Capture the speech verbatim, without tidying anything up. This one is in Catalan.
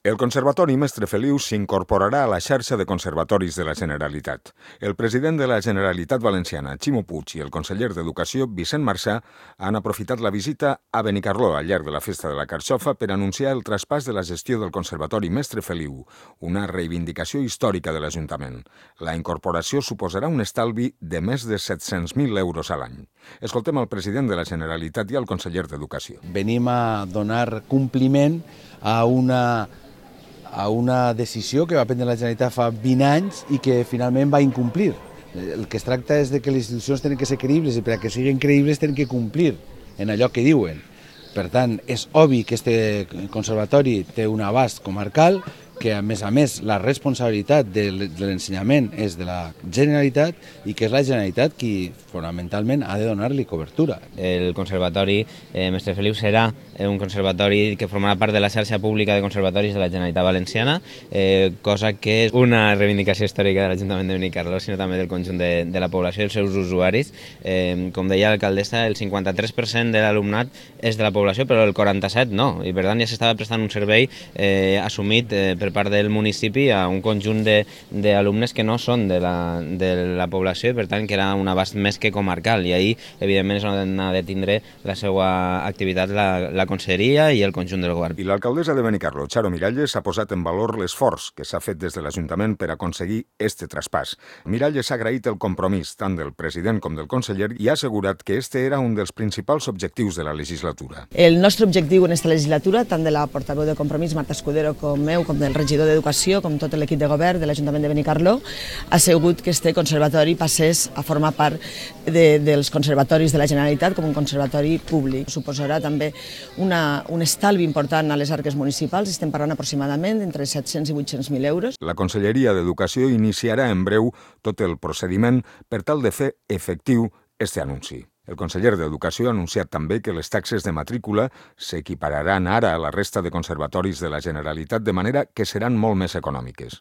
El Conservatori Mestre Feliu s'incorporarà a la xarxa de conservatoris de la Generalitat. El president de la Generalitat Valenciana, Ximo Puig, i el conseller d'Educació, Vicent Marsà, han aprofitat la visita a Benicarló al llarg de la Festa de la Carxofa per anunciar el traspàs de la gestió del Conservatori Mestre Feliu, una reivindicació històrica de l'Ajuntament. La incorporació suposarà un estalvi de més de set-cents mil euros a l'any. Escoltem el president de la Generalitat i el conseller d'Educació. Venim a donar compliment a una a una decisió que va prendre la Generalitat fa vint anys i que finalment va incomplir. El que es tracta és de que les institucions tenen que ser creïbles i per a que siguin creïbles tenen que complir en allò que diuen. Per tant, és obvi que aquest conservatori té un abast comarcal, que a més a més la responsabilitat de l'ensenyament és de la Generalitat i que és la Generalitat qui fonamentalment ha de donar-li cobertura. El Conservatori eh, Mestre Feliu serà un conservatori que formarà part de la xarxa pública de conservatoris de la Generalitat Valenciana, eh, cosa que és una reivindicació històrica de l'Ajuntament de Benicarló, sinó també del conjunt de, de la població i els seus usuaris. Eh, com deia l'alcaldessa, el cinquanta-tres per cent de l'alumnat és de la població, però el quaranta-set per cent no, i per tant ja s'estava prestant un servei eh, assumit eh, per part del municipi a un conjunt d'alumnes que no són de la, de la població i per tant que era un abast més que comarcal, i ahir evidentment és on ha de tindre la seva activitat la, la conselleria i el conjunt del govern. I l'alcaldessa de Benicarló, Charo Miralles, ha posat en valor l'esforç que s'ha fet des de l'Ajuntament per aconseguir este traspàs. Miralles ha agraït el compromís tant del president com del conseller i ha assegurat que este era un dels principals objectius de la legislatura. El nostre objectiu en aquesta legislatura, tant de la portaveu de Compromís, Marta Escudero, com meu, com del regidor d'Educació, com tot l'equip de govern de l'Ajuntament de Benicarló, ha sigut que este conservatori passés a formar part de, dels conservatoris de la Generalitat com un conservatori públic. Suposarà també una, un estalvi important a les arques municipals, estem parlant aproximadament entre set-cents i vuit-cents mil euros. La Conselleria d'Educació iniciarà en breu tot el procediment per tal de fer efectiu este anunci. El conseller d'Educació ha anunciat també que les taxes de matrícula s'equipararan ara a la resta de conservatoris de la Generalitat, de manera que seran molt més econòmiques.